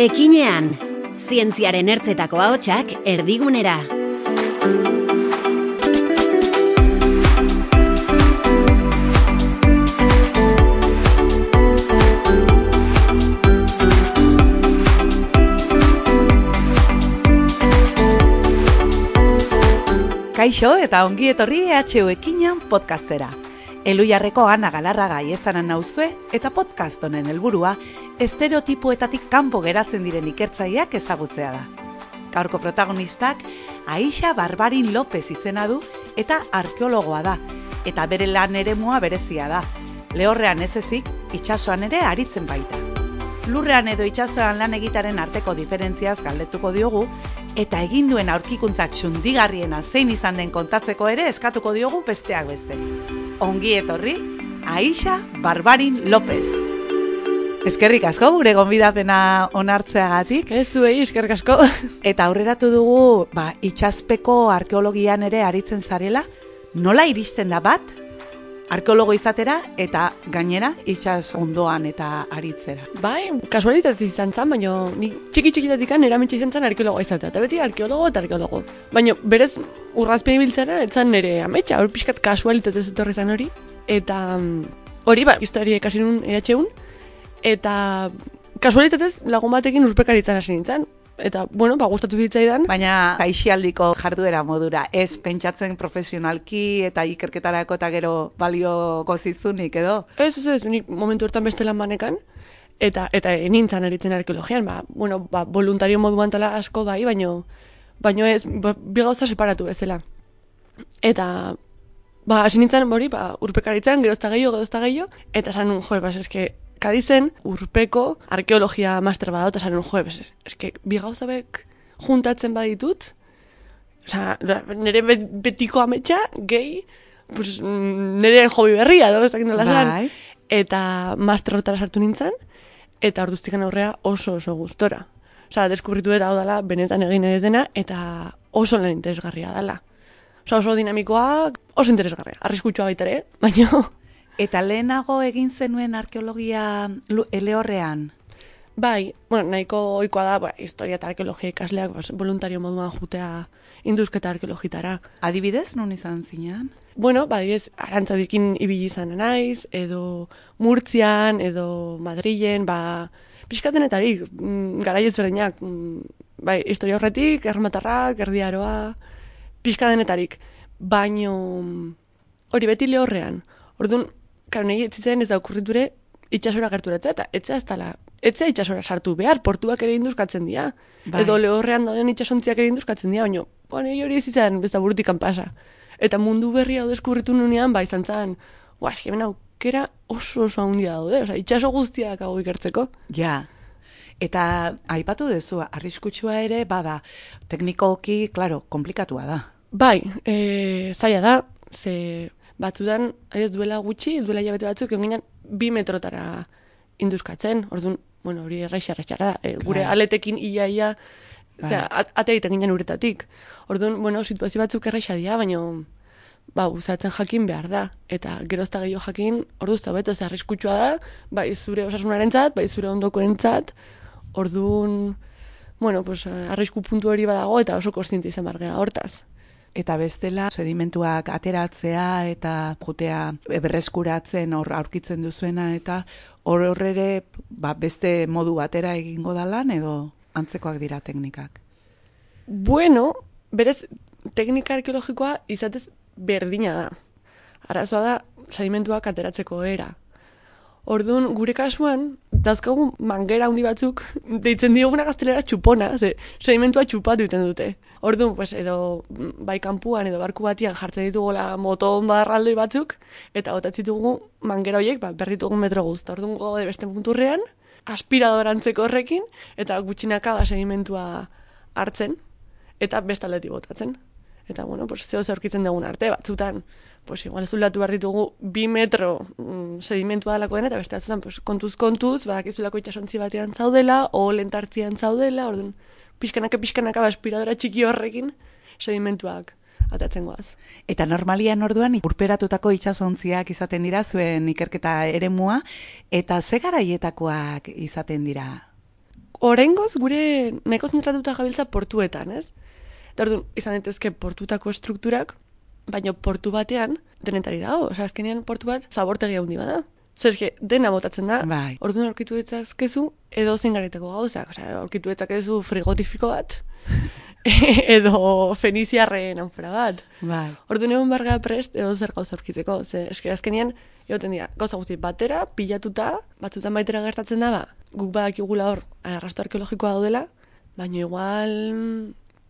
Ekinean, zientziaren ertzetako ahotsak erdigunera. Kaixo eta ongi etorri EHU Ekinean podcastera. Elujarreko Ana Galarraga aiestaran nauzue eta podcast honen helburua estereotipoetatik kanpo geratzen diren ikertzaileak ezagutzea da. Gaurko protagonistak Aixa Barbarin López izena du eta arkeologoa da, eta bere lan eremua berezia da. Lehorrean ez ezik, itsasoan ere aritzen baita. Lurrean edo itsasoan lan egitaren arteko diferentziaz galdetuko diogu, eta egin duen aurkikuntza txundigarriena zein izan den kontatzeko ere eskatuko diogu besteak beste. Ongi etorri, Aixa Barbarin López. Eskerrik asko gure gonbidapena onartzeagatik. Zuei, eskerrik asko. Eta aurreratu dugu, itsaspeko arkeologian ere aritzen zarela, nola iristen da bat arkeologo izatera eta gainera itsas ondoan eta aritzera. Bai, kasualitatez izan zen, baina ni txiki-txikitatik eramentsi izan zen arkeologo izatea. Eta beti arkeologo eta arkeologo. Baina berez urrazpen ibiltzera, etzan nire ametsa, hor pixkat kasualitatez etorri zen hori. Eta hori, historia ikasi nun EHUn. Eta kasualitatez lagun batekin urpekaritzan hasi nintzen. Eta, gustatu zitzaidan. Baina aisialdiko jarduera modura, ez pentsatzen profesionalki eta ikerketarako eta gero balioko zizunik edo? Ez, nik momentu hortan beste lan banekan, eta nintzen aritzen arkeologian, voluntario moduan tala asko bai, baino ez, bi gauza separatu bezala. Eta, hasi nintzen hori, urpekaritzan, gerozta gehiago, eta esan nun, eske, Kadizen, urpeko arkeologia master badao, eta zaren, eske, bi gauzabek juntatzen baditut, nire betiko ametsa, gehi, nire hobi berria, ez dakit nola zan, eta master hortara sartu nintzen, eta orduztikan aurrea oso gustora. Deskubritu eta hau dela, benetan egin edetena, eta oso lan interesgarria dela. Oso dinamikoa, oso interesgarria, arriskutsua baitare, baina... Eta lehenago egin zenuen arkeologia Lehorrean? Bai, nahiko ohikoa da, historia eta arkeologia ikasleak voluntario moduan jutea indusketa arkeologitara. Adibidez, non izan zinean? Adibidez, Arantzadikin ibili izan naiz, edo Murtzian, edo Madrilen, pixkatenetarik, garai ezberdinak, historia horretik, Erromatarrak, Erdi Aroa, pixkatenetarik, baino hori beti Lehorrean. Orduan, nahi etzitzen ez da okurriture itxasora gerturatzea, eta etzea itxasora sartu behar, portuak ere induzkatzen dira. Edo Lehorrean dauden itxasontziak ere induzkatzen dira, baina hori ez izan besta burutikan pasa. Eta mundu berria deskubritu nunean, izan zen, hemen aukera oso handia daude, itxaso guztiak hau ikertzeko. Ja, eta aipatu dezu, arriskutsua ere, teknikoki, komplikatua da. Zaila da, ze... Batzudan, ez duela hilabete batzuk, eginan 2 metrotara induzkatzen. Orduan, hori erraixa da. Gure aletekin ia, atea egiten ginen uretatik. Orduan, situazio batzuk erraixa dira, baina usatzen jakin behar da. Eta gerozta gehiago jakin, orduz eta beto, arriskutsua da, bai zure osasunarentzat, bai zure ondokoentzat. Orduan, arrisku puntu hori badago eta oso kontziente izan bargea hortaz. Eta bestela, sedimentuak ateratzea eta jutea berreskuratzen aurkitzen duzuena, eta hor ere beste modu batera egingo da lan edo antzekoak dira teknikak? Berez, teknika arkeologikoa izatez berdina da. Arazoa da, sedimentuak ateratzeko era. Orduan, gure kasuan, dauzkagu mangera handi batzuk, deitzen dioguna gaztelera txupona, sedimentua txupatu egiten dute. Orduan, edo bai kanpuan edo barku batian jartzen ditugola moton barraldoi batzuk, eta botatzen ditugu mangera horiek berditugun metro guzti. Orduan, gode beste punturrean, aspiradorantzeko horrekin, eta gutxinaka sedimentua hartzen, eta bestaldetik botatzen. Eta, zeo aurkitzen dugun arte, batzutan, igual zulatu behar ditugu 2 metro sedimentua dalako dena, eta beste batzutan, kontuz, badakizulako itxasontzi batean zaudela, o lentartzian zaudela, orduan, pixkanaka aspiradora txiki horrekin sedimentuak atatzen goaz. Eta normalian orduan urperatutako itsasontziak izaten dira zuen ikerketa eremua, eta ze garaietakoak izaten dira? Oraingoz gure nahiko zentratuta gabiltza portuetan, ez? Eta orduan, izan daitezke portutako estrukturak, baina portu batean denetari dago. Osea, azkenean portu bat zabortegi handi bada. Zer eske, dena botatzen da. Bai. Orduan aurkitu ditzazkezu edo zein garetako gauzak. Osea, aurkitu ditzakezu frigorifiko bat. Edo feniziarren anfora bat. Bai. Orduan egon barga prest edo zer gauza aurkitzeko. Ze eske azkenean egoten dira gauza guzti batera, pilatuta, batzutan baitera gertatzen da, ba, guk badakigula hor arrasto arkeologikoa daudela, baina igual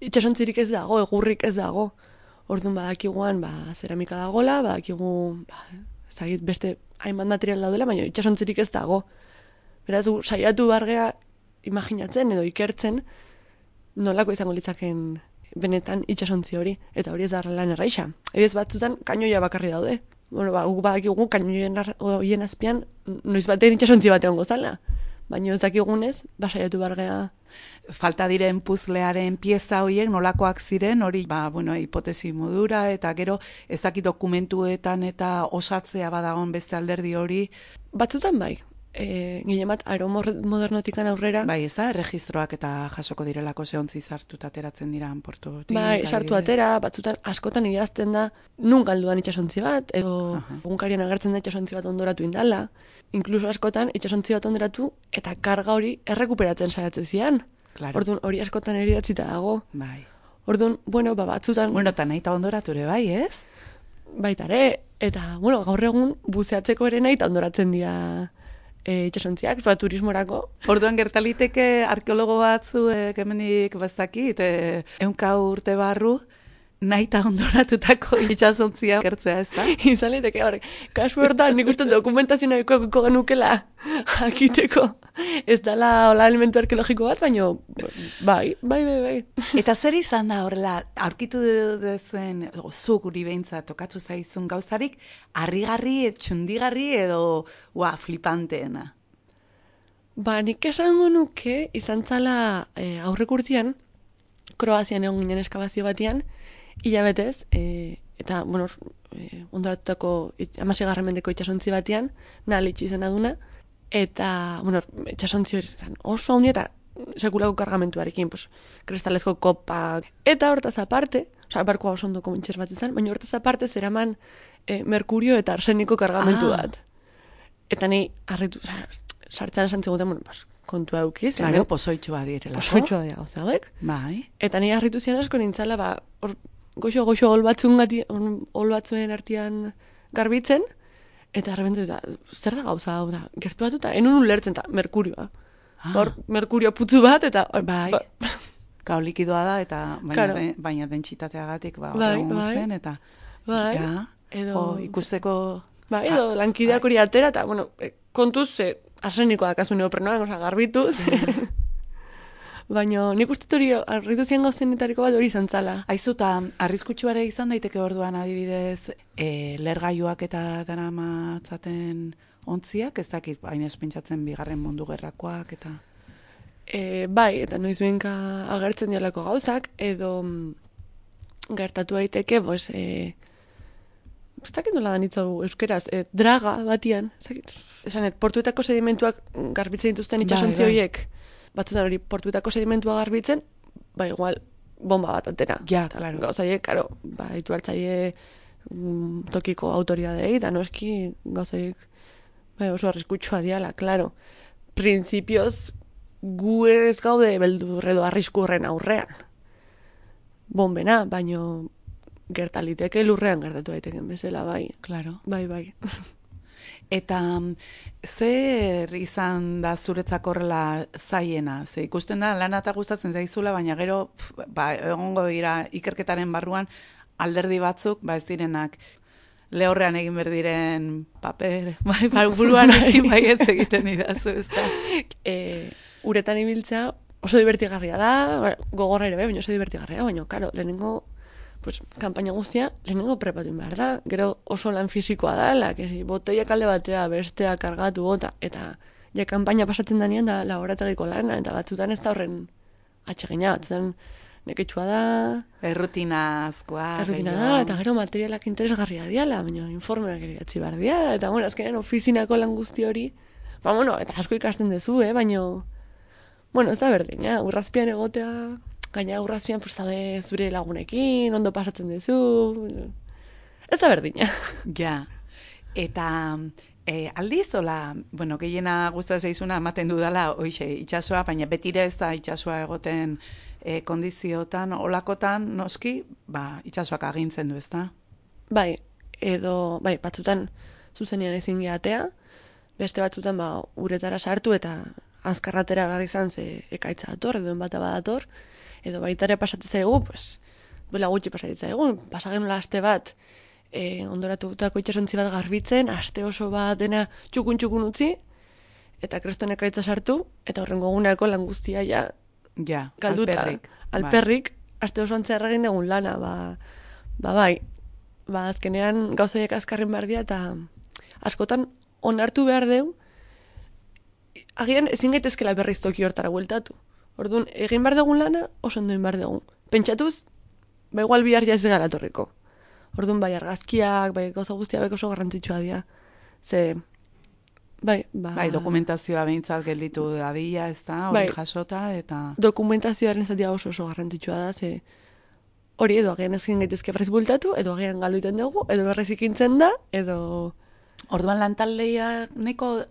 itxasontzirik ez dago, egurrik ez dago. Orduan badakiguan, ba, zeramika dagola, badakigu, ba, ezagit beste hainbat material daudela, baina itxasontzirik ez dago. Beraz, saiatu bargea imaginatzen edo ikertzen nolako izango litzaken benetan itxasontzi hori, eta hori ez da lan erraixa. Ebiz batzutan kainoia bakarri daude. Bueno, ba, guk badakigu kainoien horien azpian noiz batean itxasontzi batean gozala. Baina ez dakigunez, basaiatu bargea. Falta diren puzlearen pieza horiek nolakoak ziren, hori, ba, bueno, hipotesi modura, eta gero ez dakit dokumentuetan eta osatzea badagon beste alderdi hori. Batzutan bai. Gile bat, aeromodernotikan aurrera. Bai, ez da, erregistroak eta jasoko direlako zehontzi sartuta ateratzen dira portutik. Bai, sartu atera, batzutan askotan idazten da nun galduan itxasontzi bat, edo egunkarian agertzen da itxasontzi bat ondoratu indala. Inkluso askotan itxasontzi bat ondoratu eta karga hori errekuperatzen saiatzen zian. Claro. Orduan hori askotan ere idatzita dago. Bai. Orduan, bueno, batzutan... Bueno, eta nahi eta ondoratu ere, bai, ez? Baitare, eta, bueno, gaur egun buzeatzeko ere nahi eta ondoratzen dira itxasontziak, turismorako. Orduan gertaliteke arkeologo batzuek hemendik bazakit, 100 urte barru, nahi eta ondoratutako itxasontzia gertzea, ez da? Izan liteke, kasu hortan nik uste dokumentazio nahiko genukela jakiteko. Ez dala hola elementu arkeologiko bat, baina bai. Eta zer izan da horrela, aurkitu duzuen, zu guri behintzat tokatu zaizun gauzarik, harrigarri, txundigarri edo flipanteena? Ba, nik esango nuke izan zala aurrek urtean, Kroazian egon ginen eskabazio batean, hilabetez, eta, bueno, ondoratutako 16. mendeko itxasontzi batean, Nalitx izena duna, eta, bueno, itxasontzi hori zen oso handi eta sekulako kargamentuarekin, pues, kristalezko kopak, eta hortaz aparte, osea, barkoa oso ondoko mentxer bat izan, baina hortaz aparte zeraman merkurio eta arseniko kargamentu bat. Eta ni harritu, sartzen esan ziguten, bueno, pues, kontua eukiz. Claro, pozoitxua direlako. Pozoitxua dira gauza hauek. Bai. Eta ni harritu zian asko nintzala, ba, goxo ol batzuen artean garbitzen, eta arrebentu, zer da gauza hau da, gertu batuta, enun ulertzen, eta merkurioa. Hor, merkurio putzu bat, eta... Bai, gau likidoa da, eta baina dentsitateagatik zen, eta... Bai, edo... Ikusteko... Bai, edo lankideak hori atera, eta, bueno, kontuz, arsenikoa dakazu neoprenoan, oza, garbituz. Baina nik uste hori arritu zian gauzenetariko bat hori izan zala. Aizu, eta arriskutsuare izan daiteke orduan adibidez, lergailuak eta daramatzaten ontziak, ez dakit, baina espentsatzen bigarren mundu gerrakoak, eta... Bai, eta noiz benka agertzen dialako gauzak, edo gertatu daiteke, pues, ez dakit nola da nitzu euskeraz, draga batian, ez dakit, esanet, portuetako sedimentuak garbitzen dituzten itxasontzi horiek, batzutan hori portuetako sedimentua garbitzen, ba igual bomba bat atera. Ja, claro. Gauzaiek, karo, ba, ditu hartzaile tokiko autoridadei, da noski gauzaiek oso arriskutsua diala, claro. Printzipioz gu ez gaude beldur edo arriskurren aurrean. Bombena, baino gertaliteke lurrean gertatu daiteken bezala, bai. Claro. Bai. Eta zer izan da zuretzako horrela zaiena? Ze ikusten da lana eta gustatzen zaizula, baina gero egongo dira ikerketaren barruan alderdi batzuk, ez direnak lehorrean egin berdiren paper, buruan ekin ez egiten idazu, ez da? Uretan ibiltzea oso divertigarria da, gogorra ere baina oso divertigarria, baina, karo, lehenengo pues, kanpaina guztia, lehenengo prepatu behar da, gero oso lan fisikoa da, boteia kalde batea, bestea, kargatu, bota, eta ja kanpaina pasatzen danean da laborategiko lana, eta batzutan ez da horren atsegina, batzutan neketsua da... Errutinazkoa. Errutina da, eta gero materialak interesgarria diala, baina informeak ere gatzi behar diala, eta bueno, azkenean ofizinako lan guzti hori, ba bueno, eta asko ikasten dezu, baina Bueno, ez da berdina, urrazpian egotea, gaina urrazpian zaude zure lagunekin, ondo pasatzen duzu, ez da berdina. Ja, eta aldiz, hola, bueno, gehiena guztua zaizuna ematen dudala, hoixe, itxasoa, baina betire ez da itxasoa egoten kondiziotan, olakotan, noski, itxasoak agintzen du, ezta? Bai, batzutan zuzenean ezin gehatea, beste batzutan uretara sartu eta azkarratera behar izan ze ekaitza dator, edo enbata badator, edo baitare pasatzen zaigu, duela gutxi pasatzen zaigu, pasagen aste bat, ondoratutako itxasontzi bat garbitzen, aste oso bat dena txukun utzi, eta kreston ekaitza sartu, eta horrengo eguneko lan guztia galduta. Alperrik, aste oso antzea erragin dugun lana, bai, azkenean gauzaiek azkarren behar dira, eta askotan onartu behar deu, agian ezin gaitezkela berriz toki hortara bueltatu. Orduan, egin behar dugun lana, oso ondo egin behar dugun. Pentsatuz, igual bihar ez gara torriko. Orduan, bai, argazkiak, bai, gauza guztia beko oso garrantzitsua dira. Bai, dokumentazioa behintzat gelditu dadila, ez da, hori jasota, eta... Dokumentazioaren zatia oso garrantzitsua da, hori edo agian ezin gaitezke berriz bueltatu, edo agian galduiten dugu, edo berriz ikintzen da, edo... Orduan lantaldeia neko,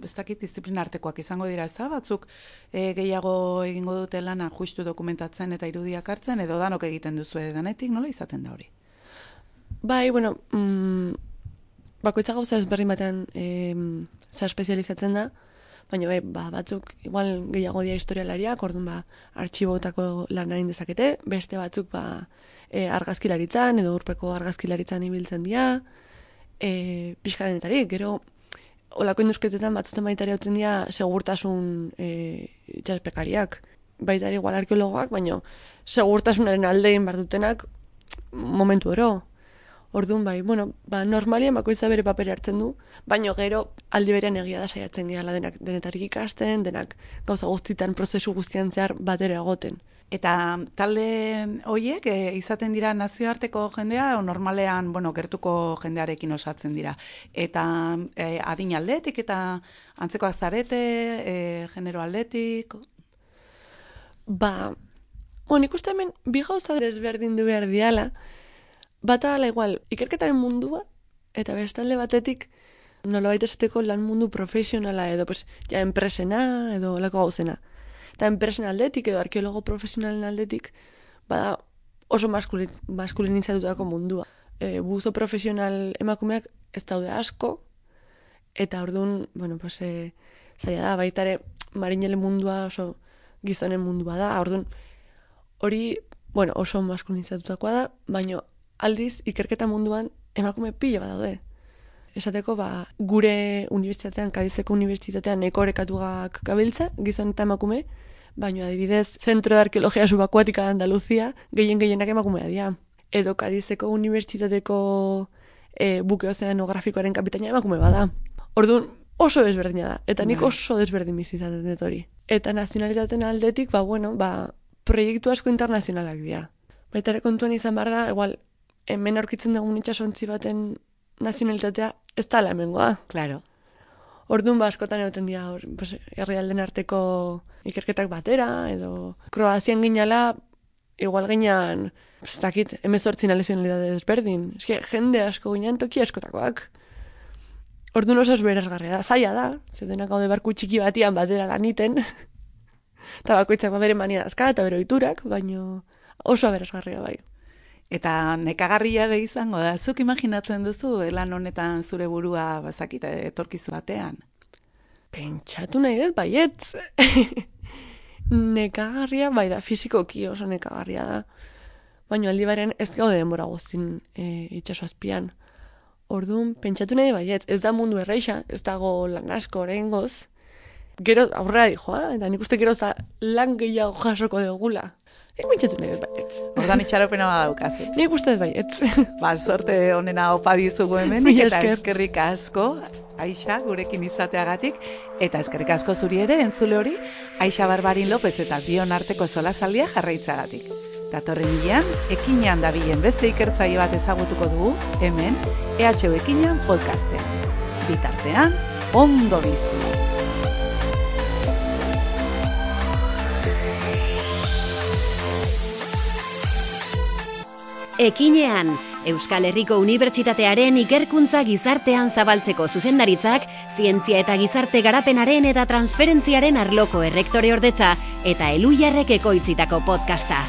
ez dakit disiplina artekoak izango dira, ez da, batzuk gehiago egingo dute lana justu dokumentatzen eta irudiak hartzen, edo danok egiten duzu danetik, nola izaten da hori? Bai, bueno, bakoitza gauza ezberdin batean espezializatzen da, baina batzuk igual gehiago dira historialariak, orduan artxibotako lan egin dezakete, beste batzuk argazkilaritzan edo urpeko argazkilaritzan ibiltzen dira, pixkadenetarik, gero olako induzketetan batzutan baitari hautzen dira segurtasun itxaspekariak, baitari igual arkeologoak, baina segurtasunaren aldein bardutenak momentu ero. Orduan normalien bakoitza bere papere hartzen du, baina gero aldi berean egia da saiatzen gehala denetarik ikasten, denak gauza guztitan prozesu guztian zehar batera egoten. Eta talde horiek izaten dira nazioarteko jendea, o normalean, gertuko jendearekin osatzen dira. Eta adin aldetik eta antzekoak zarete, genero aldetik? Nik uste hemen bi gauza desberdin du behar diala, bata ala igual, ikerketaren mundua, eta bestalde batetik nolabait esateko lan mundu profesionala edo enpresena edo lako gauzena. Eta enpresen aldetik edo arkeologo profesionalen aldetik bada oso maskulinizatutako mundua. Buzo profesional emakumeak ez daude asko, eta orduan, zaila da, baitare marinele mundua oso gizonen mundua da, orduan hori, oso maskulinizatutakoa da, baina aldiz ikerketa munduan emakume pila bat daude. Esateko, gure unibertsitatean, Kadizeko unibertsitatean eko orekatuak gabiltza, gizon eta emakume, baina adibidez, Zentro de Arkeologia Subakuatika de Andaluzia, gehienak emakumea dira. Edo Kadizeko unibertsitateko buke ozeanografikoaren kapitaina emakume bada. Orduan, oso desberdina da, eta nik oso desberdin bizizaten dut hori. Eta nazionalitaten aldetik, proiektu asko internazionalak dira. Baita ere kontuan izan behar da, igual, hemen aurkitzen dugun itxasontzi baten nazionalitatea ez da hemengoa. Claro. Orduan askotan egoten dira herrialden arteko ikerketak batera, edo Kroazian ginala, igual ginean, ez dakit, 18 nazionalitate desberdin. Eske, jende asko ginean toki askotakoak. Orduan oso berazgarria da, zaila da, zedenak gaude barku txiki batian batera laniten, eta bakoitzak bere mania dazka, eta bere ohiturak, baina oso berazgarria bai. Eta nekagarria ere izango da, zuk imaginatzen duzu lan honetan zure burua etorkizu batean? Pentsatu nahi dut, baietz. Nekagarria, bai da, fizikoki oso nekagarria da. Baina aldi baren ez gaude denbora guztin itxaso azpian. Orduan, pentsatu nahi baietz, ez da mundu erreixa, ez dago lan asko oraingoz. Gero aurrera dijoa, eta nik uste gero lan gehiago jasoko dugula. Nik pentsatu nahi dut baietz. Ordan itxaropena badaukazu. Nik uste dut baietz. Sorte honena opa dizugu hemen, eta eskerrik asko, Aixa, gurekin izateagatik, eta eskerrik asko zuri ere, entzule hori, Aixa Barbarin López eta bion arteko solasaldia jarraitzagatik. Datorren hilean, ekinean dabilen beste ikertzaile bat ezagutuko dugu, hemen, EHU Ekinean podcastean. Bitartean, ondo bizi. Ekinean, Euskal Herriko Unibertsitatearen ikerkuntza gizartean zabaltzeko zuzendaritzak, zientzia eta gizarte garapenaren eta transferentziaren arloko errektore ordetza eta Elhuyarrek ekoitzitako podcasta.